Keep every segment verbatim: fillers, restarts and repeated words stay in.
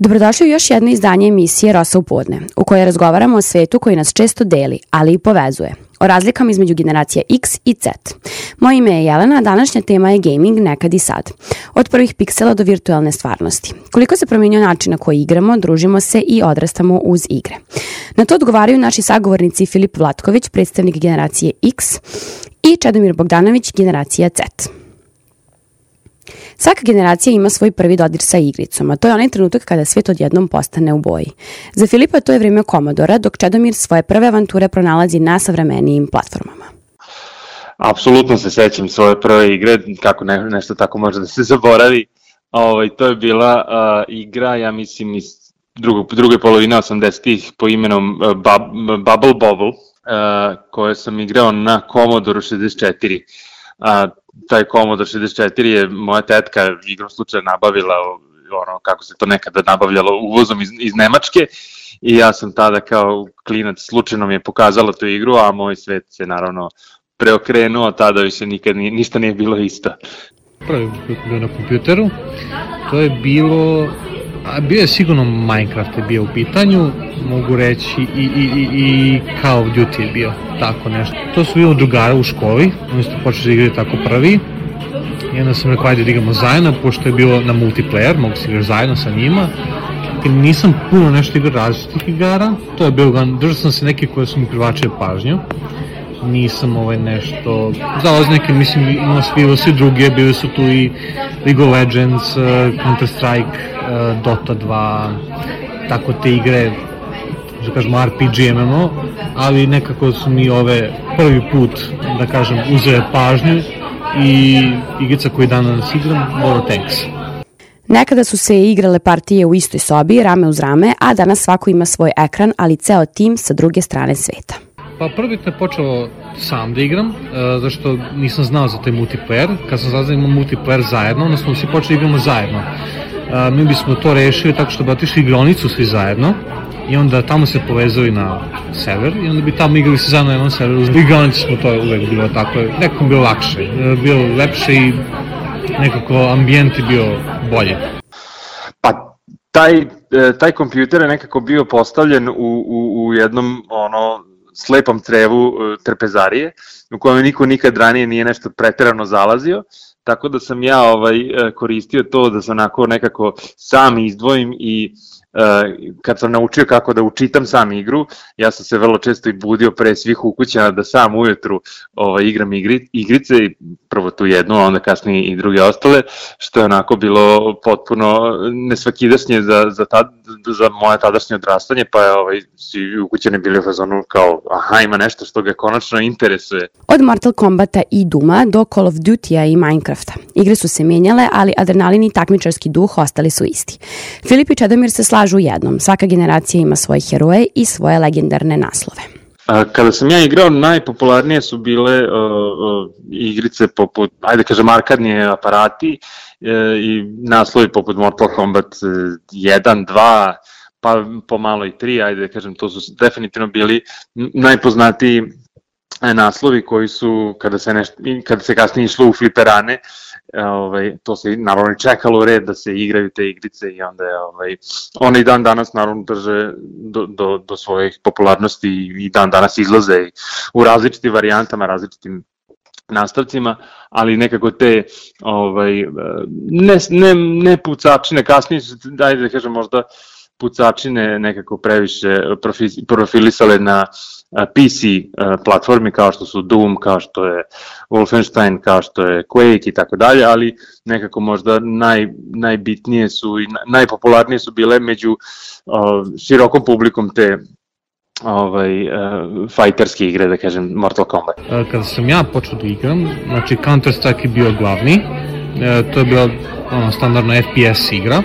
Dobrodošli u još jedno izdanje emisije Rosa u podne, u kojoj razgovaramo o svetu koji nas često deli, ali i povezuje. O razlikama između generacija X i Z. Moje ime je Jelena, a današnja tema je gaming nekad i sad. Od prvih piksela do virtualne stvarnosti. Koliko se promijenio način na koji igramo, družimo se i odrastamo uz igre. Na to odgovaraju naši sagovornici Filip Vlatković, predstavnik generacije X, i Čedomir Bogdanović, generacija Z. Svaka generacija ima svoj prvi dodir sa igricom, a to je onaj trenutak kada svijet odjednom postane u boji. Za Filipa to je vrijeme Commodora, dok Čedomir svoje prve avanture pronalazi na savremenijim platformama. Apsolutno se sećam svoje prve igre, kako ne, nešto tako može da se zaboravi. Ovaj, to je bila uh, igra, ja mislim, iz drugog, druge polovine osamdesetih po imenom uh, Bub, Bubble Bobble, uh, koje sam igrao na Commodore šezdeset četiri. Uh, taj Commodore šezdeset četiri je moja tetka igrom slučaja nabavila, ono kako se to nekada nabavljalo uvozom iz, iz Nemačke, i ja sam tada kao klinac slučajno mi je pokazala tu igru, a moj svet se naravno preokrenuo, tada više nikad nije, ništa nije bilo isto. Prvi put bio na kompjuteru, to je bilo, a bio je sigurno Minecraft je bio u pitanju, mogu reći i, i, i, i Call of Duty je bio, tako nešto. To su bilo drugara u školi, oni su počeli da igrati tako prvi, i onda sam rekao ajde da igramo zajedno, pošto je bilo na multiplayer, mogu se igrati zajedno sa njima. Nisam puno nešto igrao različitih igara, to je bilo, držao sam se neke koje su mi privlačile pažnju. Nisam ovaj nešto, za neke mislim imao svi, svi druge, bili su tu i League of Legends, Counter Strike, Dota dva, tako te igre, da kažemo R P G M M O, ali nekako su mi ove prvi put, da kažem, uzele pažnju i igrica koju danas igram, World of Tanks. Nekada su se igrale partije u istoj sobi, rame uz rame, a danas svako ima svoj ekran, ali ceo tim sa druge strane sveta. Pa prvi te počeo sam da igram, uh, zašto nisam znao za taj multiplayer. Kad sam znao da imamo multiplayer zajedno, onda smo svi počeli igramo zajedno. Uh, mi bismo to rešili tako što bi otišli igronicu svi zajedno i onda tamo se povezali na server i onda bi tamo igrali se zajedno na jednom serveru. U igronici smo to uvek bilo tako, nekako bilo lakše, uh, bilo lepše i nekako ambijent je bio bolje. Pa taj, taj kompjuter je nekako bio postavljen u, u, u jednom ono slepom crevu trpezarije, u kojem niko nikad ranije nije nešto preterano zalazio, tako da sam ja ovaj koristio to da se onako nekako sam izdvojim i uh, kad sam naučio kako da učitam sam igru, ja sam se vrlo često i budio pre svih ukućana da sam ujutru ovaj, igram igri, igrice, prvo tu jednu, a onda kasnije i druge ostale, što je onako bilo potpuno nesvakidašnje za, za, tad, za moje tadašnje odrastanje, pa je ovaj, svi ukućani bili u fazonu kao aha, ima nešto što ga konačno interesuje. Od Mortal Kombata i Duma do Call of Duty-a i Minecrafta. Igre su se mijenjale, ali adrenalin i takmičarski duh ostali su isti. Filip i Čedomir se slažu u jednom. Svaka generacija ima svoje heroje i svoje legendarne naslove. Kada sam ja igrao, najpopularnije su bile uh, uh, igrice poput, ajde kažem, arkadni aparati uh, i naslovi poput Mortal Kombat jedan, dva, pa pomalo i tri, ajde kažem, to su definitivno bili najpoznatiji naslovi koji su, kada se, neš, kada se kasnije išlo u fliperane, ovaj, to se naravno čekalo u red da se igraju te igrice i onda je, ovaj, one i dan danas naravno drže do, do, do svojih popularnosti i dan danas izlaze u različitim varijantama, različitim nastavcima, ali nekako te ovaj, ne, ne, ne pucačine, kasnije su, dajde da kažem možda, pucačine nekako previše profilisale na P C platformi kao što su Doom, kao što je Wolfenstein, kao što je Quake i tako dalje, ali nekako možda naj, najbitnije su i najpopularnije su bile među uh, širokom publikom te ovaj, uh, fighterske igre, da kažem, Mortal Kombat. Kada sam ja počeo da igram, znači Counter Strike je bio glavni, e, to je bila ono, standardna F P S igra.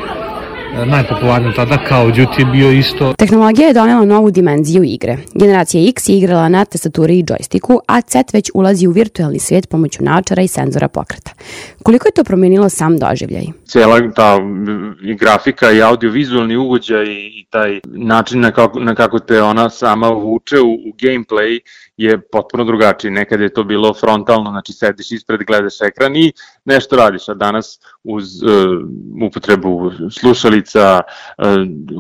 Najpopularniji tada, Call of Duty je bio isto. Tehnologija je donela novu dimenziju igre. Generacija X je igrala na tastaturi i džojstiku, a Z već ulazi u virtualni svijet pomoću naočara i senzora pokreta. Koliko je to promijenilo sam doživljaj? Cijela ta i grafika i audiovizualni ugođaj i taj način na kako, na kako te ona sama vuče u, u gameplay je potpuno drugačiji. Nekad je to bilo frontalno, znači sediš ispred, gledaš ekran i nešto radiš, a danas uz uh, upotrebu slušalica, uh,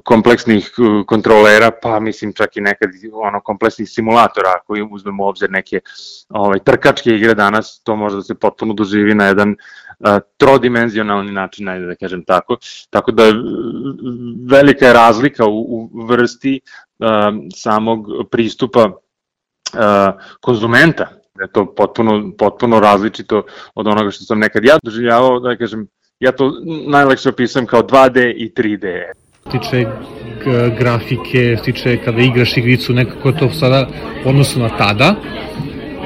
kompleksnih uh, kontrolera, pa mislim čak i nekad ono kompleksnih simulatora, ako uzmemo u obzir neke ovaj, trkačke igre danas, to može da se potpuno doživi na jedan uh, trodimenzionalni način, ajde da kažem tako. Tako da velika je razlika u, u vrsti uh, samog pristupa uh, konzumenta. Je to potpuno, potpuno različito od onoga što sam nekad ja doživljavao, da kažem, ja to najlakše opisujem kao dva de i tri de. Tiče grafike, tiče kada igraš igricu, nekako to sada u odnosu na tada,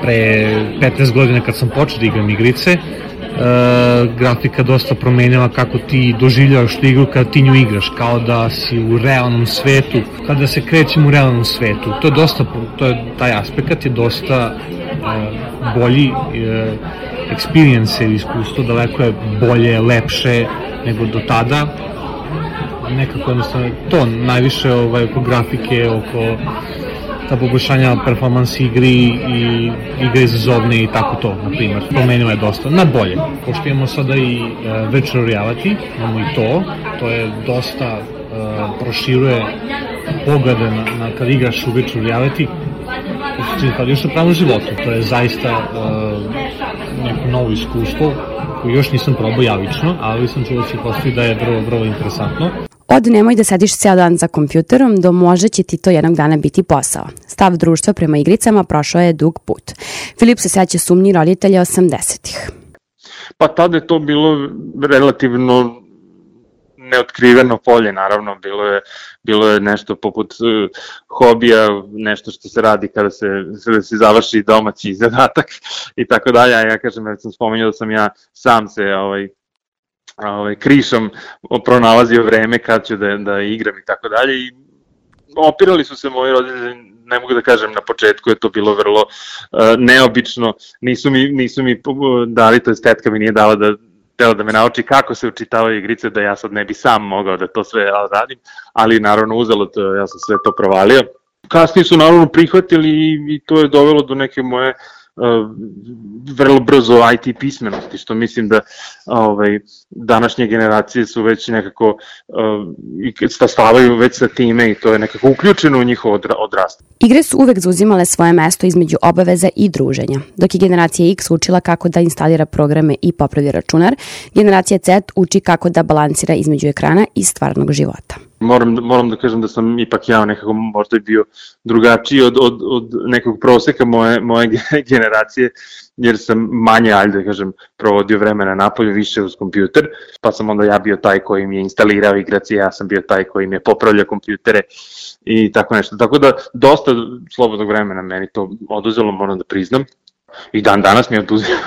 pre petnaest godina kad sam počeo da igram igrice, Uh, grafika dosta promenila kako ti doživljavaš tu igru kada ti nju igraš, kao da si u realnom svetu, kada se krećem u realnom svetu. To je dosta, to je, taj aspekt je dosta uh, bolji uh, experience ili iskustvo, daleko je bolje, lepše nego do tada. Nekako jednostavno to, najviše ovaj, oko grafike, oko ta poboljšanja performansi igri i igre izazovne i tako to, na primjer. Promenilo je dosta, na bolje. Pošto imamo sada i uh, virtual reality, imamo i to, to je dosta uh, proširuje poglede na, na kad igraš u virtual reality, kad još u pravom životu. To je zaista uh, neko novo iskustvo koje još nisam probao ja lično, ali sam čuo da se postoji da je vrlo, vrlo interesantno. Od nemoj da sediš ceo dan za kompjuterom do možda će ti to jednog dana biti posao. Stav društva prema igricama prošao je dug put. Filip se seća sumnji roditelja osamdesetih. Pa tada je to bilo relativno neotkriveno polje, naravno, bilo je, bilo je nešto poput uh, hobija, nešto što se radi kada se, kada se završi domaći zadatak i tako dalje. Ja kažem, ja sam spomenuo da sam ja sam se ovaj, ovaj, krišom pronalazio vreme kad ću da, da igram i tako dalje i opirali su se moji roditelji, ne mogu da kažem na početku je to bilo vrlo uh, neobično, nisu mi, nisu mi dali, to je tetka mi nije dala da tela da me nauči kako se učitavaju igrice, da ja sad ne bi sam mogao da to sve radim, ali naravno uzelo to, ja sam sve to provalio. Kasnije su naravno prihvatili i, i to je dovelo do neke moje uh, vrlo brzo I T pismenosti, što mislim da ovaj, današnje generacije su već nekako uh, stavaju već sa time i to je nekako uključeno u njihovo odrastanje. Igre su uvek zauzimale svoje mesto između obaveza i druženja. Dok je generacija X učila kako da instalira programe i popravi računar, generacija Z uči kako da balansira između ekrana i stvarnog života. Moram, moram da kažem da sam ipak ja nekako možda bio drugačiji od, od, od nekog proseka moje, moje generacije, jer sam manje, ajde da kažem, provodio vremena napolju, više uz kompjuter, pa sam onda ja bio taj koji mi je instalirao igracije, ja sam bio taj koji mi je popravljao kompjutere i tako nešto. Tako da dosta slobodnog vremena meni to oduzelo, moram da priznam. I dan danas mi oduzima,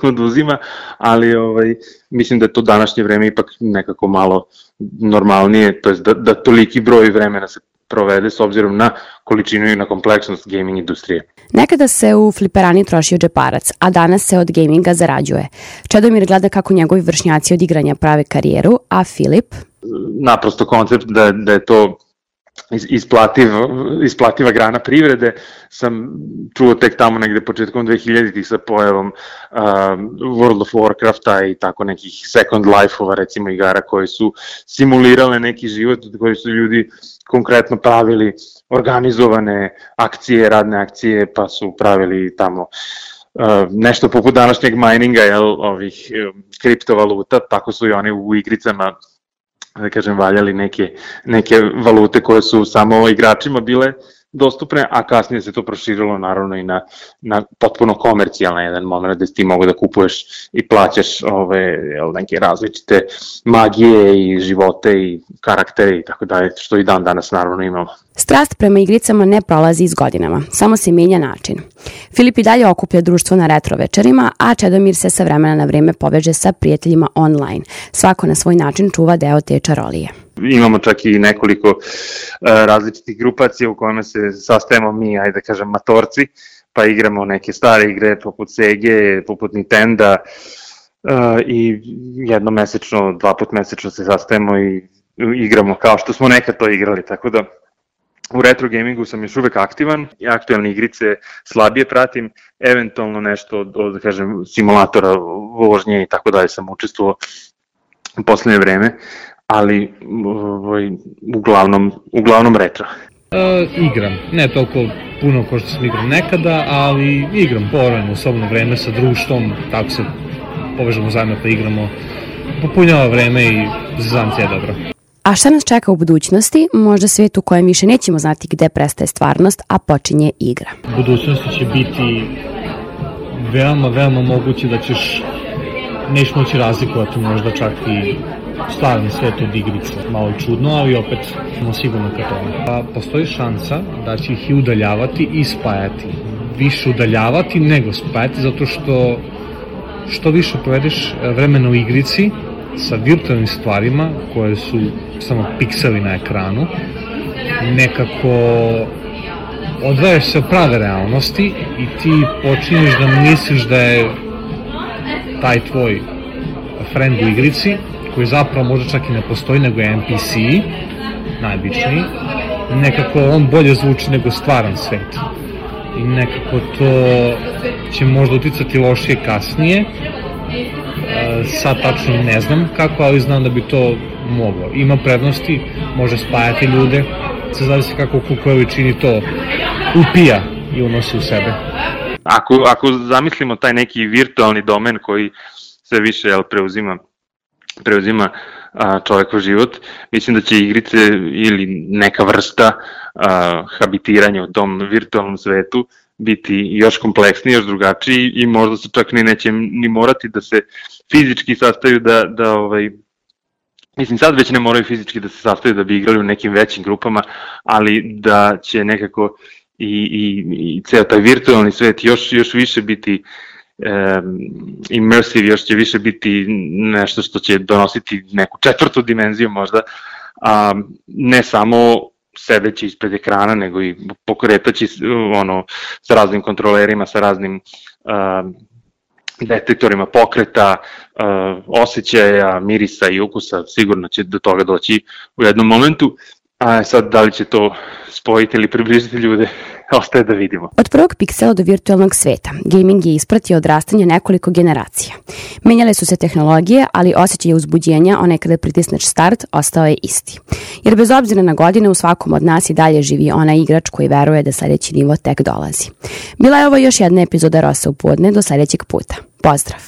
oduzima ali ovaj, mislim da je to današnje vreme ipak nekako malo normalnije, to je da, da toliki broj vremena se provede s obzirom na količinu i na kompleksnost gaming industrije. Nekada se u fliperani trošio džeparac, a danas se od gaminga zarađuje. Čedomir gleda kako njegovi vršnjaci od igranja prave karijeru, a Filip? Naprosto koncept da, da je to isplativ, isplativa grana privrede sam čuo tek tamo negde početkom dvehiljaditih sa pojavom uh, World of Warcrafta i tako nekih Second Life-ova recimo igara koji su simulirale neki život koji su ljudi konkretno pravili organizovane akcije, radne akcije pa su pravili tamo uh, nešto poput današnjeg mininga, jel, ovih um, kriptovaluta, tako su i oni u igricama da kažem, valjali neke, neke valute koje su samo igračima bile dostupne, a kasnije se to proširilo naravno i na, na potpuno komercijalna jedan moment gde ti mogu da kupuješ i plaćaš ove, neke različite magije i živote i karaktere i tako dalje, što i dan danas naravno imamo. Strast prema igricama ne prolazi s godinama, samo se menja način. Filip i dalje okuplja društvo na retro večerima, a Čedomir se sa vremena na vreme poveže sa prijateljima online. Svako na svoj način čuva deo te čarolije. Imamo čak i nekoliko uh, različitih grupacija u kojima se sastajemo mi, ajde da kažem, matorci, pa igramo neke stare igre poput Sege, poput Nintenda uh, i jednom mesečno, dva put mesečno se sastajemo i igramo kao što smo nekad to igrali, tako da u retro gamingu sam još uvek aktivan, i aktualne igrice slabije pratim, eventualno nešto od, od da kažem, simulatora vožnje i tako dalje sam učestvovao u poslednje vreme, ali ovaj, uglavnom, uglavnom retro. E, igram, ne toliko puno kao što sam igrao nekada, ali igram povremeno u slobodno vreme sa društvom, tako se povežemo zajedno pa igramo, popunjava vreme i zanci je dobro. A šta nas čeka u budućnosti? Možda svijet u kojem više nećemo znati gde prestaje stvarnost, a počinje igra. U budućnosti će biti veoma, veoma moguće da ćeš, neš moći razlikovati možda čak i stvarni svet od igrice. Malo čudno, ali opet smo sigurno ka tome. Pa postoji šansa da će ih i udaljavati i spajati. Više udaljavati nego spajati, zato što što više provedeš vremena u igrici sa virtualnim stvarima koje su samo pikseli na ekranu, nekako odvajaš se od prave realnosti i ti počinješ da misliš da je taj tvoj friend u igrici, koji zapravo možda čak i ne postoji, nego je N P C, najobičniji, nekako on bolje zvuči nego stvaran svet. I nekako to će možda uticati lošije kasnije. Sad tačno ne znam kako, ali znam da bi to moglo. Ima prednosti, može spajati ljude, se zavisi kako u kojoj većini to upija i unosi u sebe. Ako, ako zamislimo taj neki virtualni domen koji sve više jel, preuzima, preuzima a, čovekov život, mislim da će igrice ili neka vrsta a, habitiranja u tom virtualnom svetu biti još kompleksniji, još drugačiji i možda se čak ni neće ni morati da se fizički sastaju da, da ovaj, mislim sad već ne moraju fizički da se sastaju da bi igrali u nekim većim grupama, ali da će nekako i, i, i ceo taj virtualni svet još, još više biti um, immersive, još će više biti nešto što će donositi neku četvrtu dimenziju možda, a ne samo sedeći ispred ekrana, nego i pokretaći ono, sa raznim kontrolerima, sa raznim uh, detektorima pokreta, uh, osjećaja, mirisa i ukusa, sigurno će do toga doći u jednom momentu. A sad, da li će to spojiti ili približiti ljude, ostaje da vidimo. Od prvog piksela do virtualnog sveta, gaming je ispratio odrastanje nekoliko generacija. Menjale su se tehnologije, ali osjećaj uzbuđenja, onaj kada pritisneš start, ostao je isti. Jer bez obzira na godine, u svakom od nas i dalje živi onaj igrač koji veruje da sledeći nivo tek dolazi. Bila je ovo još jedna epizoda Rosa u podne, do sledećeg puta. Pozdrav!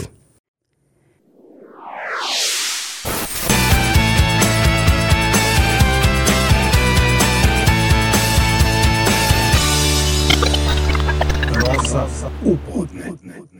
Rosa u podne.